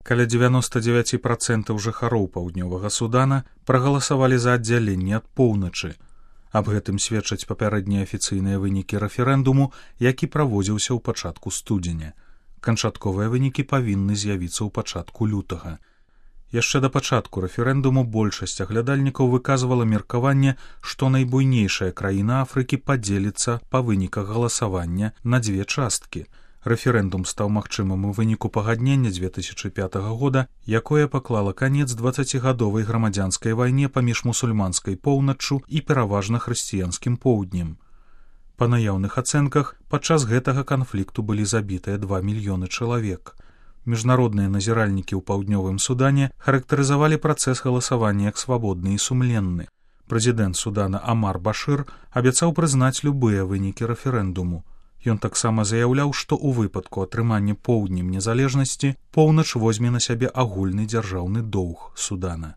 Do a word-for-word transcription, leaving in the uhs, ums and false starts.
Каля дзевяноста дзевяць працэнтаў жыхароў паўднёвага Судана прагаласавалі за аддзяленне ад поўначы. Аб гэтым сведчаць папярэднія афіцыйныя вынікі рэферэндуму, які праводзіўся ў пачатку студзеня. Канчатковыя вынікі павінны з'явіцца ў пачатку лютага. Яшчэ да пачатку рэферэндуму большасць аглядальнікаў выказвала меркаванне, што найбуйнейшая краіна Афрыкі падзеліцца па выніках галасавання на дзве часткі. Рэферэндум стаў магчымым у выніку пагаднення дзве тысячы пятага года, якое паклала канец дваццацігадовай грамадзянскай вайне паміж мусульманскай поўначчу і пераважна хрысціянскім поўднем. Па наяўных ацэнках, падчас гэтага канфлікту былі забітыя два мільёны чалавек. Міжнародныя назіральнікі ў паўднёвым Судане характарызавалі працэс галасавання як свабодны і сумленны. Прэзідэнт Судана Амар Башыр абяцаў прызнаць любыя вынікі рэферэндуму. Ён таксама заяўляў, што ў выпадку атрымання поўднем незалежнасці поўнач возьме на сябе агульны дзяржаўны доўг Судана.